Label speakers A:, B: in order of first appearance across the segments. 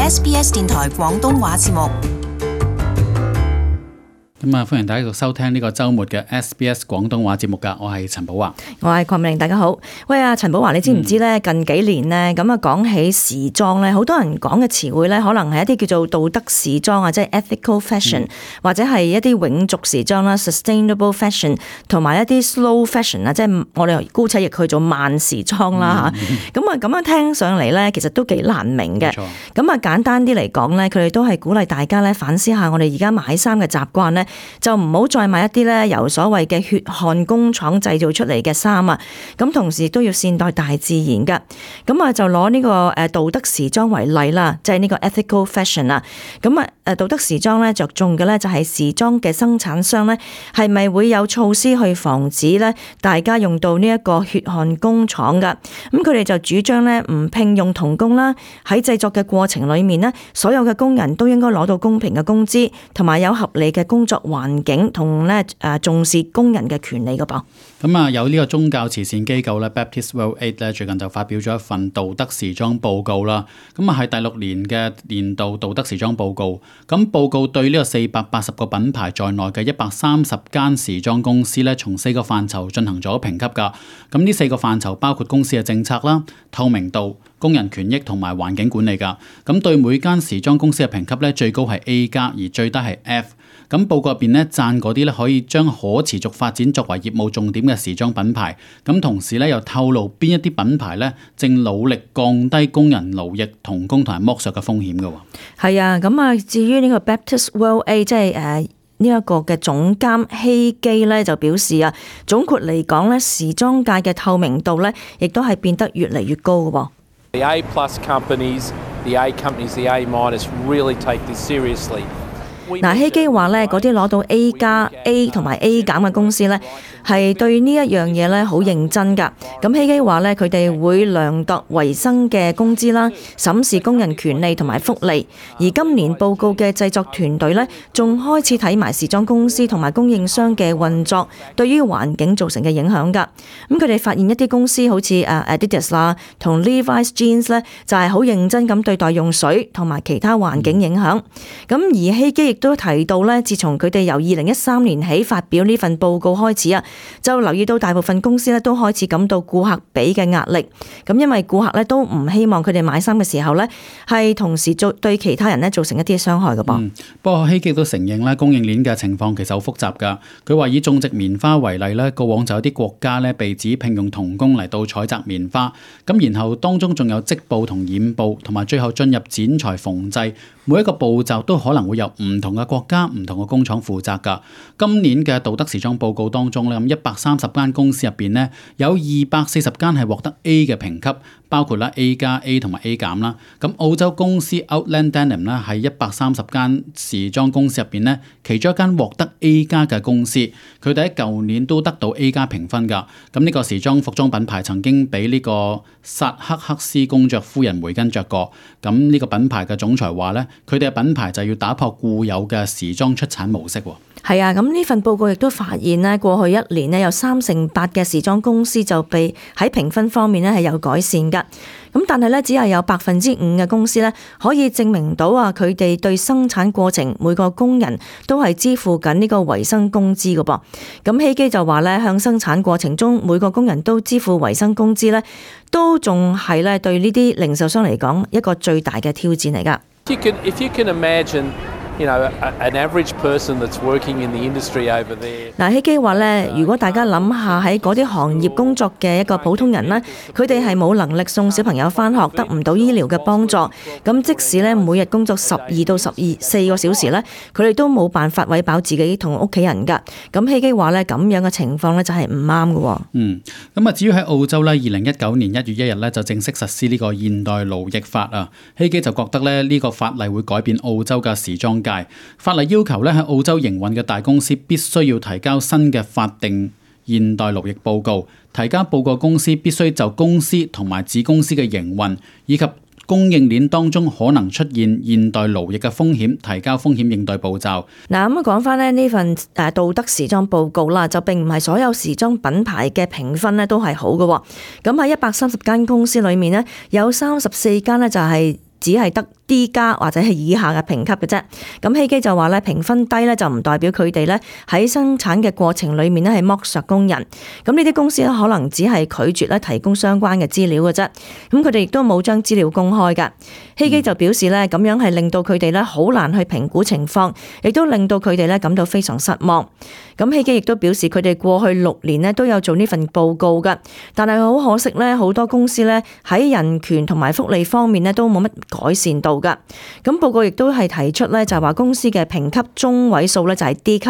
A: SBS 電台廣東話節目。
B: 歡迎大家繼續收聽呢個週末嘅 SBS 廣東話節目㗎，我係陳寶華，
C: 我係鄺美玲，大家好。喂，陳寶華，你知唔知咧？近幾年咧，咁啊講起時裝咧，好多人講嘅詞彙咧，可能係一啲叫做道德時裝啊，即係 ethical fashion，或者係一啲永續時裝啦 ，sustainable fashion， 同埋一啲 slow fashion 啊，即係我哋姑且譯佢做慢時裝啦嚇。咁啊咁樣聽上嚟咧，其實都幾難明嘅。咁啊簡單啲嚟講咧，佢哋都係鼓勵大家咧反思下我哋而家買衫嘅習慣咧。就唔好再買一啲咧由所謂嘅血汗工廠製造出嚟嘅衫啊！咁同時都要善待大自然噶。咁啊就攞呢個道德時裝為例啦，即係呢個 ethical fashion 啊。咁啊道德時裝咧着重嘅咧就係時裝嘅生產商咧係咪會有措施去防止咧大家用到呢一個血汗工廠噶？咁佢哋就主張咧唔聘用童工啦，喺製作嘅過程裏面呢，所有嘅工人都應該攞到公平嘅工資，同埋有合理嘅工作環境同咧重視工人嘅權利嘅噃。
B: 咁啊有呢個宗教慈善機構咧 Baptist World Aid 咧最近就發表咗一份道德時裝報告啦。咁啊係第6年嘅年度道德時裝報告。咁報告對呢個480個品牌在內嘅130間時裝公司咧，從4個範疇進行咗評級㗎。咁呢4個範疇包括公司嘅政策啦、透明度、工人權益同埋環境管理㗎。咁對每間時裝公司嘅評級咧，最高係 A 加，而最低係 F。咁報告入邊咧讚嗰啲咧可以將可持續發展作為業務重點嘅時裝品牌，咁同時咧又透露邊一啲品牌咧正努力降低工人勞役、童工同埋剝削嘅風險嘅。
C: 係啊，咁啊至於呢個 Baptist World Aid 即係呢一個嘅總監希基咧就表示啊，總括嚟講咧，時裝界嘅透明度咧亦都係變得越嚟越高嘅。
D: The A+ companies, the A companies, the A- really take this seriously.
C: 嗱，希基話咧，嗰啲攞到 A 加、A 同埋 A 減嘅公司咧，係對呢一樣嘢咧好認真㗎。咁希基話咧，佢哋會量度維生嘅工資啦，審視工人權利同埋福利。而今年報告嘅製作團隊咧，仲開始睇埋時裝公司同埋供應商嘅運作對於環境造成嘅影響㗎。咁佢哋發現一啲公司好似Adidas 啦同 Levi's Jeans 咧，就係好認真咁對待用水同埋其他環境影響。咁而希基亦都提到咧，自從佢哋由2013年起發表呢份報告開始啊，就留意到大部分公司咧都開始感到顧客俾嘅壓力。咁因為顧客咧都唔希望佢哋買衫嘅時候咧，係同時對其他人咧造成一啲傷害嘅噃。
B: 不過希基都承認咧，供應鏈嘅情況其實好複雜㗎。佢話以種植棉花為例咧，過往就有啲國家咧被指聘用童工嚟到採摘棉花，咁然後當中仲有織布同染布，同埋最後進入剪裁縫製，每一個步驟都可能會有唔同嘅國家、唔同嘅工廠負責㗎。今年嘅道德時裝報告當中咧，咁130間公司入邊咧，有240間係獲得 A 嘅評級，包括啦 A 加、A 同埋 A 減啦。咁澳洲公司 Outland Denim 咧係130間時裝公司入邊咧，其中一間獲得 A 加嘅公司，佢哋喺舊年都得到 A 加評分㗎。咁呢個時裝服裝品牌曾經俾呢個薩克克斯公爵夫人梅根着過。咁呢個品牌嘅總裁話咧，佢哋嘅品牌就要打破固有嘅時裝出產模式。
C: 係啊，咁呢份報告亦都發現咧，過去1年咧有38%嘅時裝公司就被喺評分方面咧係有改善㗎。咁但係咧只係有5%嘅公司咧可以證明到啊，佢哋對生產過程每個工人都係支付緊呢個維生工資㗎噃。咁希基就話咧，向生產過程中每個工人都支付維生工資咧，都仲係咧對呢啲零售商嚟講一個最大嘅挑戰嚟㗎。
D: If you can imagine an average person that's working in the industry over there。
C: 嗱，希基話咧，如果大家諗下喺嗰啲行業工作嘅一個普通人咧，佢哋係冇能力送小朋友返學，得唔到醫療嘅幫助。咁即使咧每日工作12到14個小時咧，佢哋都冇辦法餵飽自己同屋企人㗎。咁希基話咧，咁樣嘅情況咧就係唔啱嘅。
B: 咁啊，至於喺澳洲咧，2019年1月1日咧就正式實施呢個現代勞役法啊。希基就覺得咧呢個法例會改變澳洲嘅時裝界。法例要求咧喺澳洲營運嘅大公司必須要提交新嘅法定現代勞役報告，提交報告公司必須就公司同埋子公司嘅營運以及供應鏈當中可能出現現代勞役嘅風險，提交風險應對步驟。
C: 嗱，咁講翻呢份道德時裝報告啦，就並唔係所有時裝品牌嘅評分咧都係好嘅。咁喺130間公司裏面呢，有34間呢就係只係得 D 加或者係以下嘅評級嘅啫。咁希基就話咧，評分低咧就唔代表佢哋咧喺生產嘅過程裡面咧係剝削工人。咁呢啲公司咧可能只係拒絕咧提供相關嘅資料嘅啫。咁佢哋亦都冇將資料公開㗎。希基就表示咧，咁樣係令到佢哋咧好難去評估情況，亦都令到佢哋咧感到非常失望。咁希基亦都表示佢哋過去6年咧都有做呢份報告㗎，但係好可惜咧，好多公司咧喺人權同埋福利方面咧都冇乜改善到㗎。咁報告亦都係提出咧，就係話公司嘅評級中位數咧就係 D 級，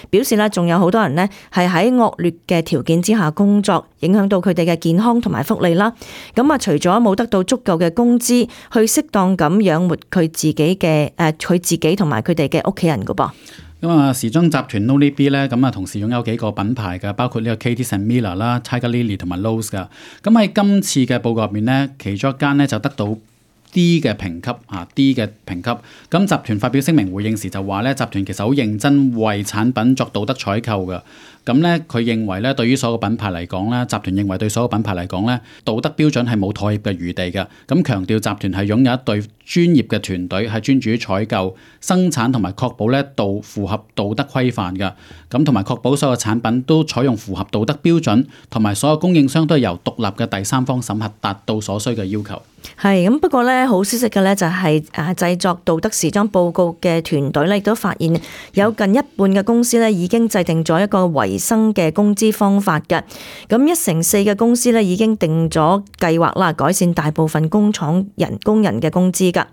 C: 表示咧仲有好多人呢係喺惡劣嘅條件之下工作，影響到佢哋嘅健康同埋福利啦。咁啊，除咗冇得到足夠嘅工資去適當咁養活佢自己同埋佢哋嘅屋企人㗎噃。
B: 咁啊，時裝集團 Nolly 咧，咁啊同時擁有幾個品牌嘅，包括呢個 Katie and Miller 啦、Tiger Lily 同埋 Lowe's 噶。咁喺今次嘅報告入面呢，其中一間呢就得到D 嘅評級，D 嘅評級。咁集團發表聲明回應時就話咧，集團其實好認真為產品作道德採購嘅。咁咧，佢認為咧，對於所有品牌嚟講咧，集團認為對所有品牌嚟講咧，道德標準係冇妥協嘅餘地嘅。咁強調集團係擁有一隊專業嘅團隊，係專注於採購、生產同埋確保咧符合道德規範嘅。咁同埋確保所有產品都採用符合道德標準，同埋所有供應商都係由獨立嘅第三方審核，達到所需嘅要求。
C: 係咁，不過咧好消息嘅咧就係製作道德時裝報告嘅團隊咧亦都發現有近一半嘅公司咧已經制定咗一個維生嘅工資方法嘅。咁1/4嘅公司咧已經定咗計劃啦，改善大部分工人嘅工資㗎。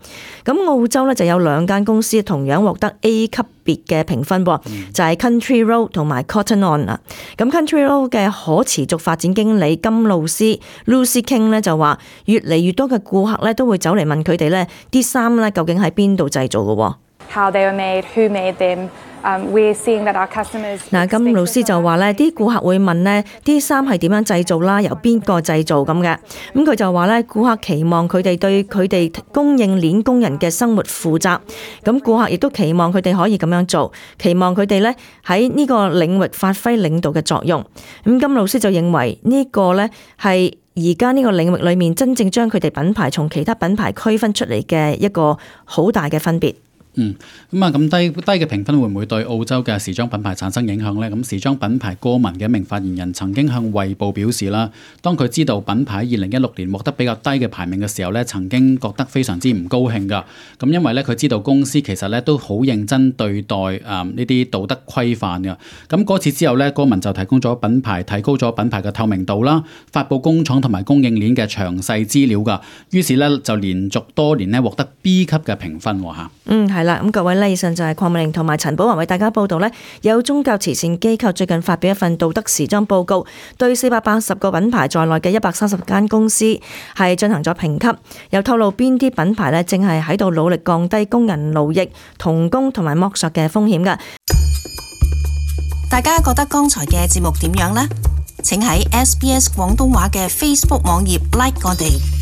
C: 咁澳洲咧就有2間公司同樣獲得 A 級別嘅評分噃，就係 Country Road 同埋 Cotton On 啦。咁 Country Road 嘅可持續發展經理金露斯 Lucy King 咧就話，越嚟越多嘅顧客咧都會走嚟問佢哋咧啲衫咧究竟喺邊度製造嘅。
E: How they were made, who made them. We're seeing that our customers.
C: 嗱，金老師就話咧，啲顧客會問咧，啲衫係點樣製造啦，由邊個製造咁嘅。咁佢就話咧，顧客期望佢哋對佢哋供應鏈工人嘅生活負責。咁顧客亦都期望佢哋可以咁樣做，期望佢哋咧喺呢個領域發揮領導嘅作用。咁金老師就認為呢個咧係而家呢個領域裏面真正將佢哋品牌從其他品牌區分出嚟嘅一個好大嘅分別。
B: 咁低嘅評分會唔會對澳洲嘅時裝品牌產生影響呢？咁時裝品牌歌文嘅一名發言人曾經向衛報表示啦，當佢知道品牌2016年獲得比較低嘅排名嘅時候咧，曾經覺得非常之唔高興噶。咁因為咧佢知道公司其實咧都好認真對待呢啲道德規範嘅。咁嗰次之後咧，歌文就提高咗品牌嘅透明度啦，發布工廠同埋供應鏈嘅詳細資料噶。於是咧就連續多年咧獲得 B 級嘅評分嚇。
C: 係啦，咁各位咧，以上就係鄺美玲同埋陳寶華為大家報道呢，有宗教慈善機構最近發表一份道德時裝報告，對480個品牌在內嘅130間公司係進行咗評級，又透露邊啲品牌呢正係喺度努力降低工人勞役、童工同埋剝削嘅風險㗎。
A: 大家覺得剛才嘅節目點樣呢？請喺SBS 廣東話嘅 Facebook 網頁 like 我哋。